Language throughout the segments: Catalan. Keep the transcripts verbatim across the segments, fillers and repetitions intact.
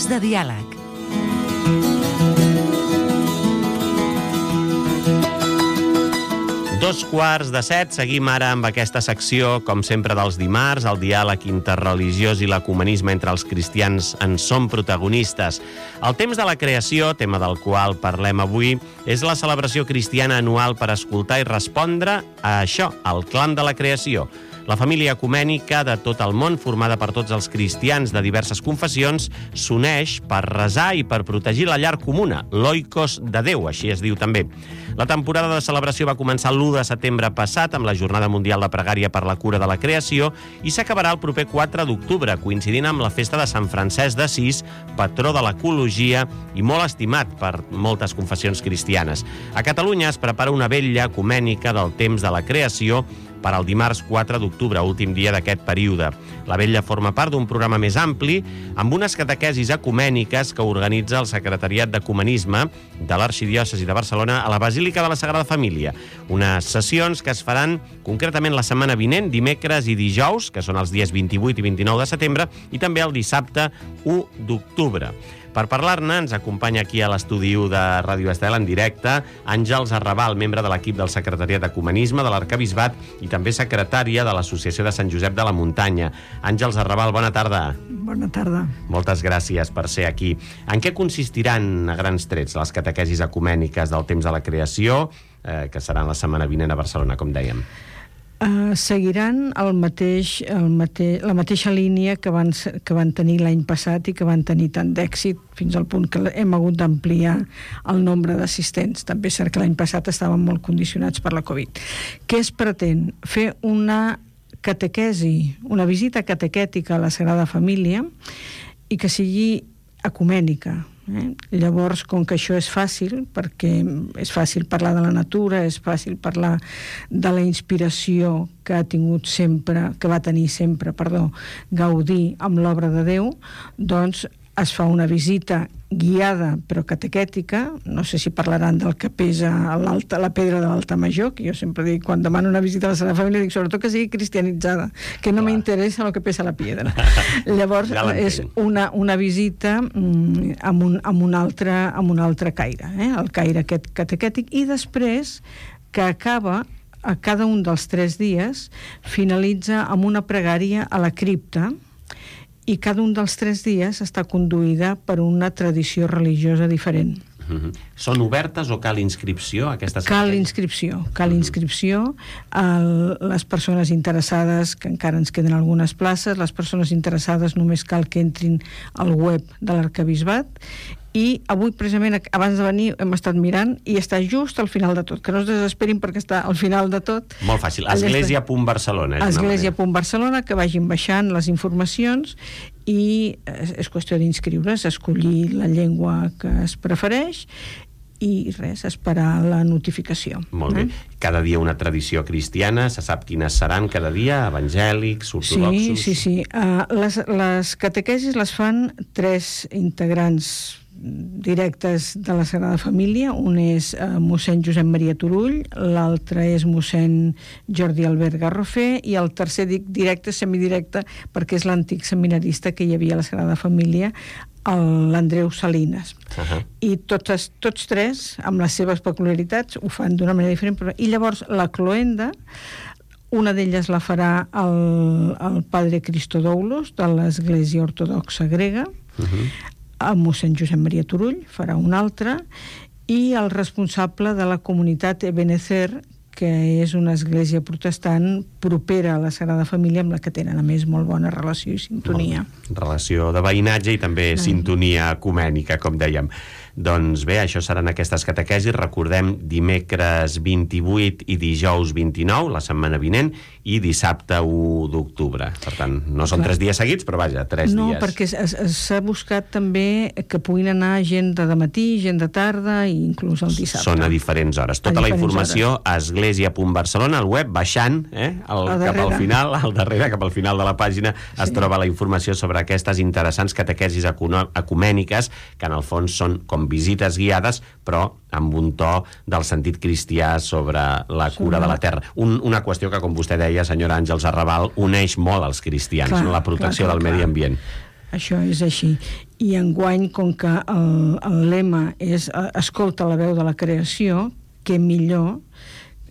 minuts de diàleg. Dos quarts de set, seguim ara amb aquesta secció, com sempre dels dimarts, el diàleg interreligiós i l'ecumenisme entre els cristians en són protagonistes. El temps de la creació, tema del qual parlem avui, és la celebració cristiana anual per escoltar i respondre a això, al clam de la creació. La família ecumènica de tot el món, formada per tots els cristians de diverses confessions, s'uneix per resar i per protegir la llar comuna, l'oikos de Déu, així es diu també. La temporada de celebració va començar l'u de setembre passat amb la Jornada Mundial de Pregària per la Cura de la Creació i s'acabarà el proper quatre d'octubre, coincidint amb la festa de Sant Francesc d'Assís, patró de l'ecologia i molt estimat per moltes confessions cristianes. A Catalunya es prepara una vetlla ecumènica del temps de la creació per al dimarts quatre d'octubre, últim dia d'aquest període. La vetlla forma part d'un programa més ampli amb unes catequesis ecumèniques que organitza el Secretariat d'Ecumenisme de l'Arxidiòcesi de Barcelona a la Basílica de la Sagrada Família. Unes sessions que es faran concretament la setmana vinent, dimecres i dijous, que són els dies vint-i-vuit i vint-i-nou de setembre, i també el dissabte u d'octubre. Per parlar-ne, ens acompanya aquí a l'estudi u de Ràdio Estel en directe Àngels Arrabal, membre de l'equip del Secretariat d'Ecumenisme de l'Arquebisbat i també secretària de l'Associació de Sant Josep de la Muntanya. Àngels Arrabal, bona tarda. Bona tarda. Moltes gràcies per ser aquí. En què consistiran a grans trets les catequesis ecumèniques del temps de la creació, eh, que seran la setmana vinent a Barcelona, com dèiem? Uh, seguiran el mateix, el mate, la mateixa línia que van, que van tenir l'any passat i que van tenir tant d'èxit fins al punt que hem hagut d'ampliar el nombre d'assistents. També és cert que l'any passat estaven molt condicionats per la Covid. Què es pretén? Fer una catequesi, una visita catequètica a la Sagrada Família i que sigui ecumènica. Eh? Llavors, com que això és fàcil, perquè és fàcil parlar de la natura, és fàcil parlar de la inspiració que ha tingut sempre, que va tenir sempre, perdó, Gaudí amb l'obra de Déu, doncs es fa una visita guiada però catequètica. No sé si parlaran del que pesa l'alta, la pedra de l'altar major, que jo sempre dic, quan demano una visita a la Sagrada Família, dic sobretot que sigui cristianitzada, que no m'interessa el que pesa la pedra. Llavors ja és una, una visita mm, amb, un, amb, un altre, amb un altre caire, eh? El caire aquest catequètic, i després que acaba a cada un dels tres dies, finalitza amb una pregària a la cripta, i cada un dels tres dies està conduïda per una tradició religiosa diferent. Uh-huh. Són obertes o cal inscripció? Aquestes cal inscripció, cal uh-huh. inscripció. El, les persones interessades, que encara ens queden algunes places, les persones interessades només cal que entrin al web de l'Arquebisbat. I avui, precisament, abans de venir, hem estat mirant i està just al final de tot. Que no es desesperin perquè està al final de tot. Molt fàcil. església punt barcelona. església punt barcelona, que vagin baixant les informacions i és qüestió d'inscriure's, escollir la llengua que es prefereix i res, esperar la notificació. Molt bé. Eh? Cada dia una tradició cristiana, se sap quines seran cada dia, evangèlics, ortodoxos... Sí, sí, sí. Uh, les, les catequesis les fan tres integrants directes de la Sagrada Família. Un és uh, mossèn Josep Maria Turull, l'altre és mossèn Jordi Albert Garrofer i el tercer dic directe, semidirecte, perquè és l'antic seminarista que hi havia a la Sagrada Família, l'Andreu Salinas. Uh-huh. I tots, tots tres, amb les seves peculiaritats, ho fan d'una manera diferent. Però... I llavors la cloenda, una d'elles la farà el, el padre Christodoulos de l'Església Ortodoxa Grega, uh-huh. el mossèn Josep Maria Turull farà una altra, i el responsable de la comunitat Ebenezer, que és una església protestant propera a la Sagrada Família, amb la que tenen, a més, molt bona relació i sintonia. Relació de veïnatge i també ah. sintonia ecumènica, com dèiem. Doncs bé, això seran aquestes catequesis. Recordem, dimecres vint-i-vuit i dijous vint-i-nou, la setmana vinent, i dissabte u d'octubre. Per tant, no són Clar. tres dies seguits, però vaja, tres no, dies. No, perquè s'ha buscat també que puguin anar gent de matí, gent de tarda i inclús el dissabte. Són a diferents hores. Tota la informació a església punt barcelona, al web, baixant, eh, el, cap al final, al darrere, cap al final de la pàgina, sí. es troba la informació sobre aquestes interessants catequesis ecumèniques, que en el fons són com visites guiades, però amb un to del sentit cristià sobre la cura de la terra. Un, una qüestió que, com vostè deia, senyora Àngels Arrabal, uneix molt als cristians, clar, no? La protecció clar, clar, del medi ambient. Això és així. I enguany, com que el, el lema és escolta la veu de la creació, que millor,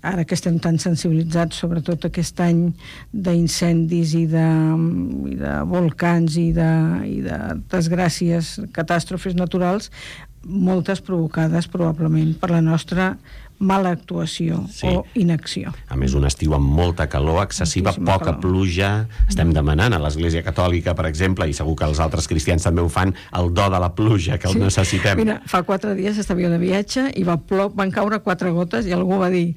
ara que estem tan sensibilitzats, sobretot aquest any d'incendis i de, i de volcans i de, i de desgràcies, catàstrofes naturals, moltes provocades probablement per la nostra mala actuació sí. o inacció. A més, un estiu amb molta calor excessiva, Moltíssima poca calor. pluja. Estem demanant a l'Església Catòlica, per exemple, i segur que els altres cristians també ho fan, el do de la pluja, que el sí. necessitem. Mira, fa quatre dies estava de viatge i va plou, van caure quatre gotes i algú va dir,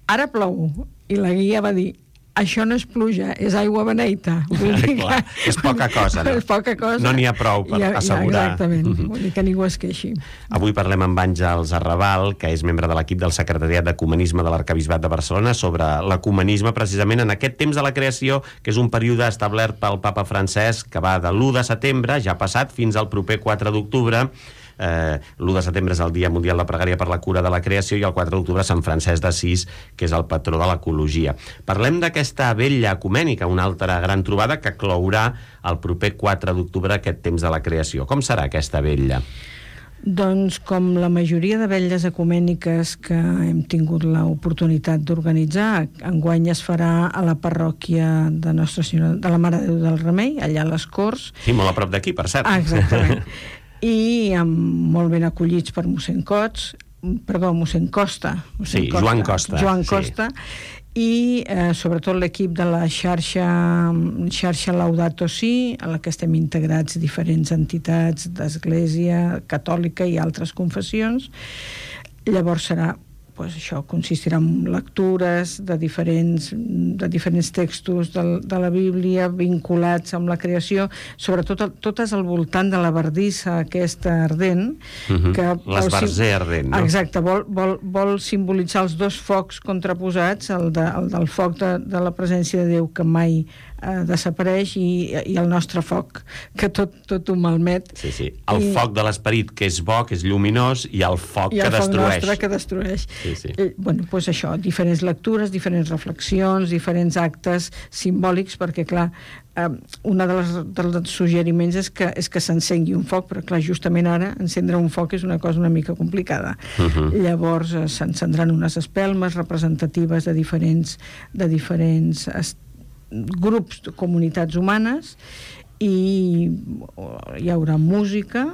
ara plou. I la guia va dir, això no és pluja, és aigua beneita. Vull dir Clar, que... és poca cosa, no? És poca cosa. No n'hi ha prou per ja, assegurar. Ja, exactament, mm-hmm. Vull dir que ningú es queixi. Avui parlem amb Àngels Arrabal, que és membre de l'equip del Secretariat d'Ecumenisme de l'Arquebisbat de Barcelona, sobre l'ecumenisme precisament en aquest temps de la creació, que és un període establert pel papa Francesc, que va de l'u de setembre, ja passat, fins al proper quatre d'octubre. Eh, l'u de setembre és el Dia Mundial de Pregària per la Cura de la Creació i el quatre d'octubre Sant Francesc d'Assís, que és el patró de l'ecologia. Parlem d'aquesta vetlla ecumènica, una altra gran trobada que clourà el proper quatre d'octubre aquest temps de la creació. Com serà aquesta vetlla? Doncs com la majoria de vetlles ecumèniques que hem tingut l'oportunitat d'organitzar, enguany es farà a la parròquia de Nostra Senyora de la Mare de Déu del Remei, allà a les Corts. Sí, molt a prop d'aquí, per cert. Ah, exactament. I amb, molt ben acollits per mossèn Cots, perdó, mossèn Costa. Mossèn sí, Costa, Joan Costa. Joan Costa. Sí. I eh, sobretot l'equip de la xarxa, xarxa Laudato Si, a la que estem integrats diferents entitats d'Església Catòlica i altres confessions. Llavors serà pues això consistirà en lectures de diferents, de diferents textos de, de la Bíblia vinculats amb la creació, sobretot totes al voltant de la bardissa aquesta ardent. Uh-huh. que L'esbarzer ardent, no? Exacte, vol, vol, vol simbolitzar els dos focs contraposats, el, de, el del foc de, de la presència de Déu que mai eh, desapareix i, i el nostre foc, que tot, tot ho malmet. Sí, sí. El I, foc de l'esperit, que és bo, que és lluminós, i el foc i el que foc destrueix. nostre que destrueix. Sí, sí. Eh, bueno, doncs això, diferents lectures, diferents reflexions, diferents actes simbòlics, perquè, clar, eh, un dels, dels suggeriments és que, és que s'encengui un foc, però, clar, justament ara encendre un foc és una cosa una mica complicada. Uh-huh. Llavors eh, s'encendran unes espelmes representatives de diferents, de diferents est- grups de comunitats humanes i hi haurà música.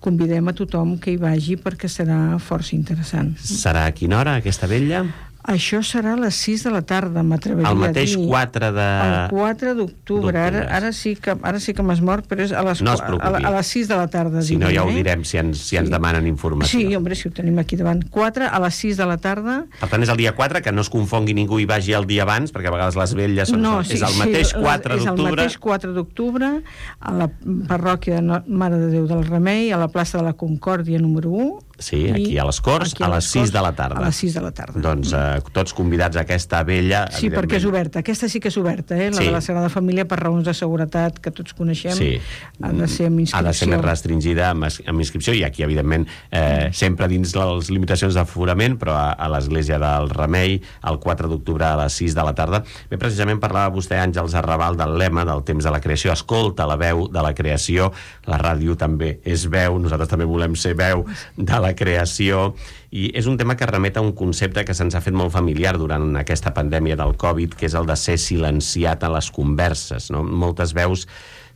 Convidem a tothom que hi vagi perquè serà força interessant. Serà a quina hora, aquesta vetlla? Això serà a les sis de la tarda, m'atreviria a dir. El mateix quatre de... El quatre d'octubre. Ara, ara sí que, ara sí que m'has mort, però és a les, no a, a les sis de la tarda. Si no, ja ho eh? direm, si ens, si ens sí. demanen informació. Sí, home, si ho tenim aquí davant. quatre a les sis de la tarda. Per tant, és el dia quatre, que no es confongui ningú i vagi el dia abans, perquè a vegades les vetlles són... No, és sí, el mateix sí, quatre d'octubre. És el mateix quatre d'octubre a la parròquia de Mare de Déu del Remei, a la plaça de la Concòrdia número u. Sí, aquí a les Corts, a, a les sis de la tarda. A les sis de la tarda. Doncs eh, tots convidats a aquesta vella... Sí, perquè és oberta. Aquesta sí que és oberta, eh? La sí. de la Sagrada Família, per raons de seguretat que tots coneixem, sí. ha de ser amb inscripció. Ha de ser més restringida amb, amb inscripció, i aquí, evidentment, eh, sempre dins les limitacions d'aforament, però a, a l'Església del Remei, el quatre d'octubre a les sis de la tarda. Bé, precisament parlava vostè, Àngels Arrabal, del lema del temps de la creació. Escolta la veu de la creació. La ràdio també és veu, nosaltres també volem ser veu de la creació, i és un tema que remet a un concepte que se'ns ha fet molt familiar durant aquesta pandèmia del Covid, que és el de ser silenciat a les converses, no? Moltes veus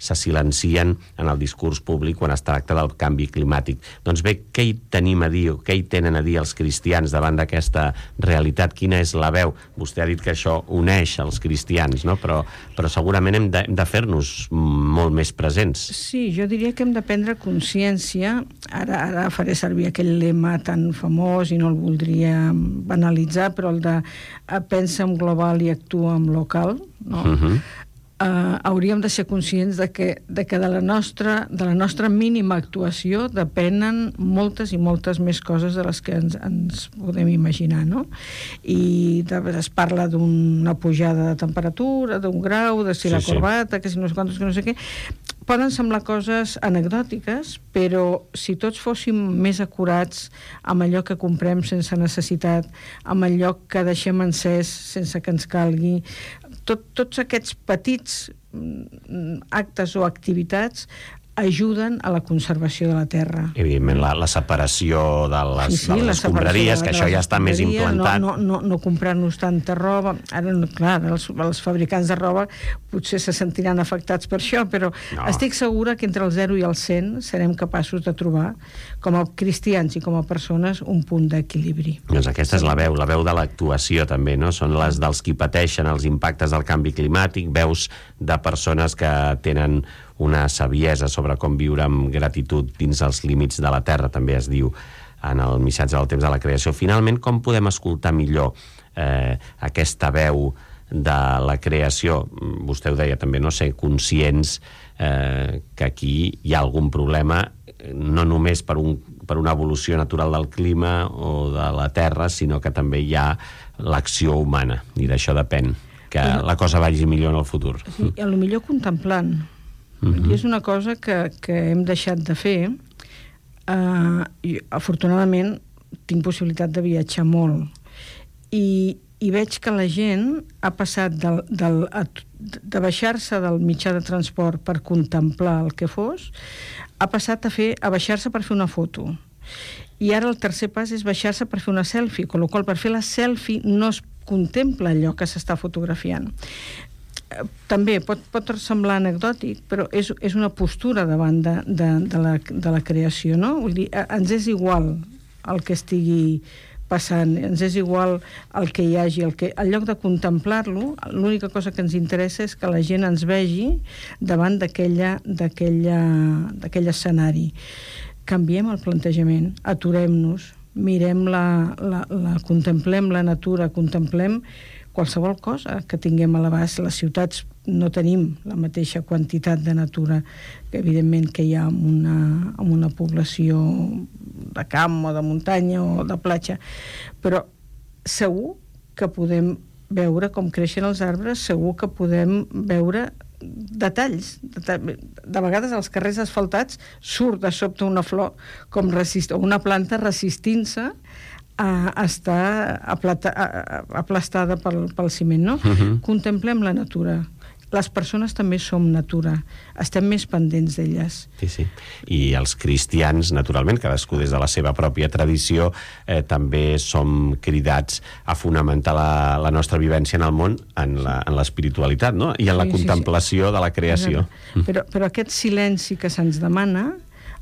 se silencien en el discurs públic quan es tracta del canvi climàtic. Doncs bé, què hi tenim a dir, o què hi tenen a dir els cristians davant d'aquesta realitat? Quina és la veu? Vostè ha dit que això uneix els cristians, no? Però, però segurament hem de, hem de fer-nos molt més presents. Sí, jo diria que hem de prendre consciència. Ara, ara faré servir aquell lema tan famós i no el voldria banalitzar, però el de pensa en global i actua en local, no? Uh-huh. Uh, hauríem de ser conscients de que, de que de, la nostra, de la nostra mínima actuació depenen moltes i moltes més coses de les que ens, ens podem imaginar, no? I de, es parla d'una pujada de temperatura, d'un grau, de si sí, la corbata, sí. que si no sé quantos, que no sé què. Poden semblar coses anecdòtiques, però si tots fóssim més acurats amb allò que comprem sense necessitat, amb allò que deixem encès sense que ens calgui, tot, tots aquests petits actes o activitats ajuden a la conservació de la terra. Evidentment, la, la separació de les, sí, sí, de les escombraries, que això ja està més implantat. No, no, no, no comprar-nos tanta roba. Ara, clar, els, els fabricants de roba potser se sentiran afectats per això, però no. Estic segura que entre el zero i el cent serem capaços de trobar, com a cristians i com a persones, un punt d'equilibri. Doncs aquesta és la veu, la veu de l'actuació també, no? Són les dels qui pateixen els impactes del canvi climàtic, veus de persones que tenen una saviesa sobre com viure amb gratitud dins els límits de la Terra, també es diu en el missatge del temps de la creació. Finalment, com podem escoltar millor eh, aquesta veu de la creació? Vostè ho deia també, no? Ser conscients eh, que aquí hi ha algun problema, no només per, un, per una evolució natural del clima o de la Terra, sinó que també hi ha l'acció humana, i d'això depèn que la cosa vagi millor en el futur. Sí, a lo millor contemplant. Uh-huh. I és una cosa que, que hem deixat de fer. Uh, i, afortunadament tinc possibilitat de viatjar molt i, i veig que la gent ha passat del, del, a, de baixar-se del mitjà de transport per contemplar el que fos, ha passat a, fer, a baixar-se per fer una foto. I ara el tercer pas és baixar-se per fer una selfie, amb la qual cosa per fer la selfie no es contempla allò que s'està fotografiant. També pot, pot semblar anecdòtic, però és, és una postura davant de, de, de, la, de la creació, no? Vull dir, ens és igual el que estigui passant, ens és igual el que hi hagi, el que, en lloc de contemplar-lo, l'única cosa que ens interessa és que la gent ens vegi davant d'aquella, d'aquella, d'aquell escenari. Canviem el plantejament, aturem-nos, mirem la, la, la, contemplem la natura, contemplem qualsevol cosa que tinguem a l'abast. Les ciutats no tenim la mateixa quantitat de natura que evidentment que hi ha en una, en una població de camp o de muntanya o de platja, però segur que podem veure com creixen els arbres, segur que podem veure detalls. De vegades als carrers asfaltats surt de sobte una flor com resist, o una planta resistint-se a estar aplata, a, aplastada pel, pel ciment, no? Uh-huh. Contemplem la natura. Les persones també som natura. Estem més pendents d'elles. Sí, sí. I els cristians, naturalment, cadascú des de la seva pròpia tradició, eh, també som cridats a fonamentar la, la nostra vivència en el món en l'espiritualitat, no? I en la sí, contemplació sí, sí. de la creació. Però, però aquest silenci que se'ns demana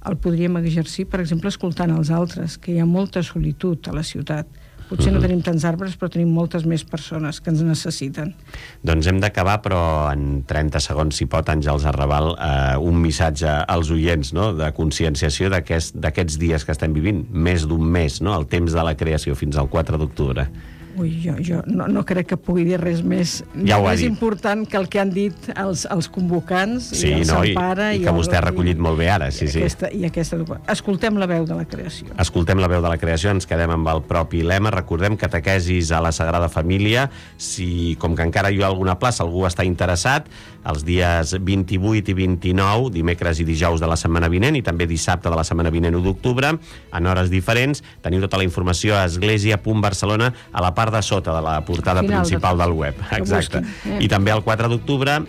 el podríem exercir, per exemple, escoltant els altres, que hi ha molta solitud a la ciutat. Potser no tenim tants arbres, però tenim moltes més persones que ens necessiten. Doncs hem d'acabar, però en trenta segons, si pot, Àngels Arrabal, eh, un missatge als oients, no?, de conscienciació d'aquests aquest, dies que estem vivint, més d'un mes, no?, el temps de la creació, fins al quatre d'octubre. Ui, jo, jo no, no crec que pugui dir res més, ja més important que el que han dit els, els convocants sí, i el no, Sampara. I, i que vostè el, ha recollit i, molt bé ara. Sí, i, sí. Aquesta, i aquesta... Escoltem la veu de la creació. Escoltem la veu de la creació, ens quedem amb el propi lema. Recordem catequesis a la Sagrada Família. Si, com que encara hi ha alguna plaça, algú està interessat, els dies vint-i-vuit i vint-i-nou, dimecres i dijous de la setmana vinent, i també dissabte de la setmana vinent, u d'octubre, en hores diferents. Teniu tota la informació a església punt barcelona, a la part de sota de la portada Final principal de... del web. Exacte. Eh. I també el quatre d'octubre,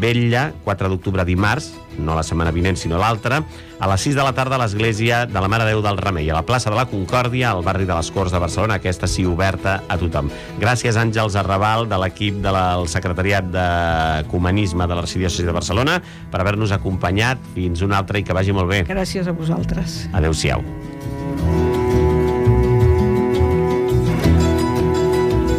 vetlla, quatre d'octubre dimarts, no la setmana vinent, sinó l'altra, a les sis de la tarda a l'església de la Mare de Déu del Remei, a la plaça de la Concòrdia, al barri de les Corts de Barcelona, aquesta sí oberta a tothom. Gràcies, Àngels Arrabal, de l'equip del Secretariat d'Ecumenisme de l'Arxidiòcesi de Barcelona, per haver-nos acompanyat. Fins una altra i que vagi molt bé. Gràcies a vosaltres. Adéu-siau.